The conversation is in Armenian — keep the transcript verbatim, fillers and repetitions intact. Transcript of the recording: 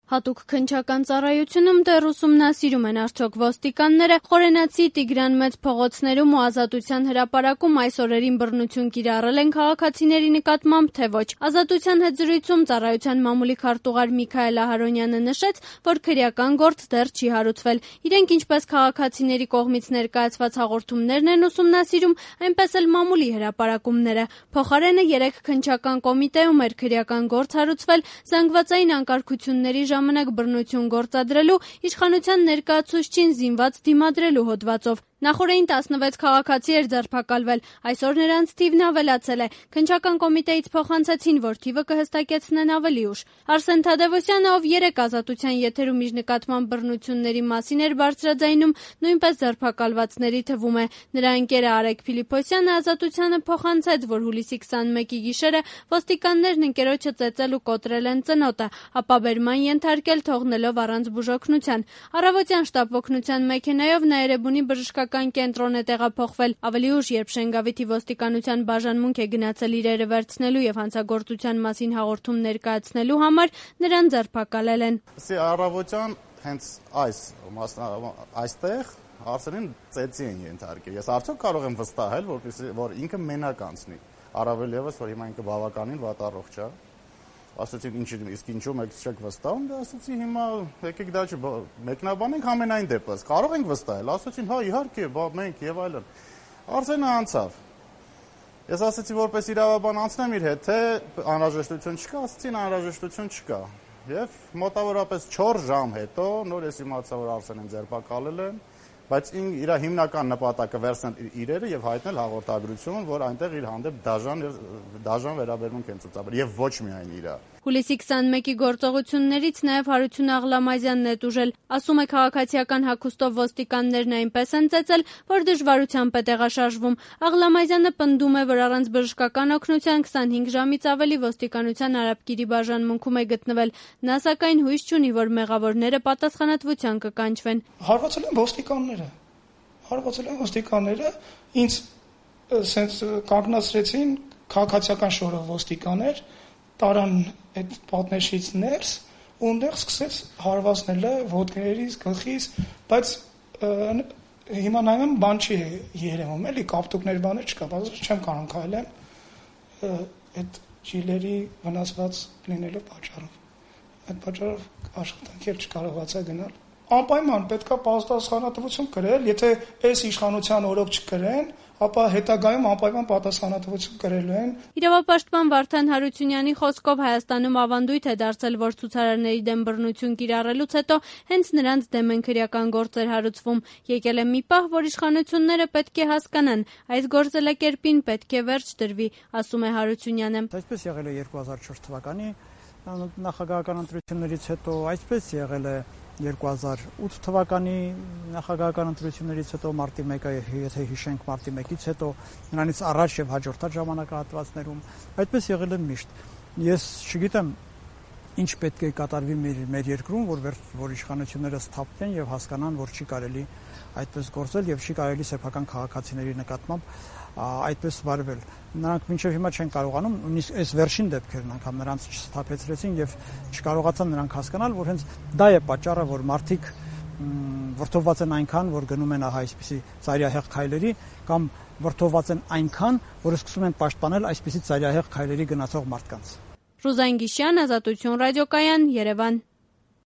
Հատուկ քննչական ծառայությունում դեռ ուսումնասիրում են արդյոք ոստիկանները Խորենացի Տիգրան Մեծ փողոցներում ու Ազատության հրապարակում այս օրերին բռնություն կիրառել են քաղաքացիների նկատմամբ, թե ոչ։ Ազատության հետ զրույցում ծառայության մամուլի քարտուղար Միքայել Ահարոնյանը նշեց, որ քրեական գործ դեռ չի հարուցվել։ Իրենք ինչպես քաղաքացիների կողմից ներկայացված հաղորդումներն են ուսումնասիրում, այնպես էլ մամուլի հրապարակումները։ Փոխարենը երեք քննչական կոմիտեում էր քրեական գործ հարուցվել զանգվածային անկարգությունների ժամանակ բռնություն գործադրելու, իշխանության ներկայացուցչին զինված դիմադրելու հոդվածով։ Նախորդին տասնվեց քաղաքացի էր ձերբակալվել, այսօր նրանց թիվն ավելացել է։ Քննչական կոմիտեից փոխանցեցին, որ թիվը կհստակեցնեն ավելի ուշ։ Արսեն Թադևոսյանը, ով երեք Ազատության եթերում իր նկատմամբ բռնությունների մասին էր բարձրաձայնում, նույնպես ձերբակալվածների թվում է։ Նրա ընկերը Արեգ Փիլիփոսյանը Ազատությանը փոխանցեց, որ հուլիսի քսանմեկի գիշերը ոստիկաններն ընկերոջը ծեծել ու կոտրել են ծնոտը, ապա բերման ենթարկել, թողնելով առանց բուժօգնության։ Առավոտյան շտապ օգնության մեքենայով նա Էրեբունի բժշկական կենտրոն է տեղափոխվել։ Ավելի ուշ, երբ Շենգավիթի ոստիկանության բաժանմունք է գնացել իրերը վերցնելու եւ հանցագործության մասին հաղորդում ներկայացնելու համար, նրան ձերբակալել են։ Առավոտյան հենց այս այստեղ Արսենին ծեծի են ենթարկել։ Ես արդյոք կարող եմ վստահել, որպեսզի որ ինքը մենակ անցնի։ Առավել եւս, որ հիմա ինքը բավականին վատառողջ է։ Ասացի ինչ իսկ ինչու մեկ չեք վստահում, դա ասացի հիմա եկեք դա մեկնաբանենք ամենայն դեպս։ Կարող ենք վստահել, ասացին հա իհարկե, բա մենք եւ այլն։ Արսենը անցավ։ Ես ասացի որպես իրավաբան անցնեմ իր հետ, թե անհրաժեշտություն չկա, ասացին անհրաժեշտություն չկա։ Եվ մոտավորապես չորս ժամ հետո նոր ես իմացա, որ Արսենին ձերբակալել են, բայց իր հիմնական նպատակը վերցնել իրերը եւ հայտնել հաղորդագրություն, որ այնտեղ իր հանդեպ դաժան դաժան վերաբերմունք են ցուցաբերել եւ ոչ միայն իրա։ Հուլիսի քսանմեկի գործողություններից նաև Հարություն Աղլամազյանն է տուժել։ Ասում է, քաղաքացիական հագուստով ոստիկաններն այնպես են ծեծել, որ դժվարությամբ է տեղաշարժվում։ Աղլամազյանը պնդում է, որ առանց բժշկական օգնության քսանհինգ ժամից ավելի ոստիկանության Արաբկիրի բաժանմունքում է գտնվել։ Նա սակայն հույս չունի, որ մեղավորները պատասխանատվության կկանչվեն։ Հարվածել են ոստիկանները։ Հարվածել են ոստիկանները, ինձ սենց կանգնացրեցին քաղաքացիական շորով ոստիկաններ, տարան այդ պատնեշից ներս ու այնտեղ սկսեց հարվածնելը ոտքերից, գլխից, բայց հիմա նայում եմ բան չի երևում, էլի կապտուկներ բաներ չկա, բայց չեմ կարող քայլեմ այդ ջիլերի վնասված լինելու պատճառով։ Այդ պատճառով աշխատանքի էլ չկարողացա գնալ։ Անպայման պետքա պատասխանատվություն կրել, եթե այս իշխանության օրոք չկրեն, ապա հետագայում անպայման պատասխանատվություն կրելու են։ Իրավապաշտպան Վարդան Հարությունյանի խոսքով Հայաստանում ավանդույթ է դարձել, որ ցուցարարների դեմ բռնություն կիրառելուց հետո հենց նրանց դեմ են քրեական գործեր հարուցվում։ Եկել է մի պահ, որ իշխանությունները պետք է հասկանան, այս գործելակերպին պետք է վերջ դրվի, ասում է Հարությունյանը։ Այսպես եղել է երկու հազար չորս թվականի նախագահական ընտրություններից հետո, այսպես եղել է երկու հազար ութ թվականի նախագահական ընտրություններից հետո, մարտի մեկը, եթե հիշենք մարտի մեկից հետո, նրանից առաջ եւ հաջորդած ժամանակահատվածներում, այդպես եղել է միշտ։ Ես չգիտեմ ինչ պետք է կատարվի մեր, մեր երկրում, որ որ իշխանությունները սթափվեն եւ հասկանան, որ չի կարելի այդպես գործել եւ չի կարելի սեփական քաղաքացիների նկատմամբ այդպես վարվել։ Նրանք մինչև հիմա չեն կարողանում, նույնիսկ այս վերջին դեպքերն անգամ նրանց չսթափեցրեցին եւ չկարողացան նրանք հասկանալ, որ հենց դա է պատճառը, որ մարդիկ վրդովված են այնքան, որ գնում են ահա այսպիսի ծայրահեղ քայլերի, կամ վրդովված են այնքան, որ սկսում են պաշտպանել այսպիսի ծայրահեղ քայլերի գնացող մարդկանց։ Ռուզան Գիշյան, Ազատություն ռադիոկայան, Երևան։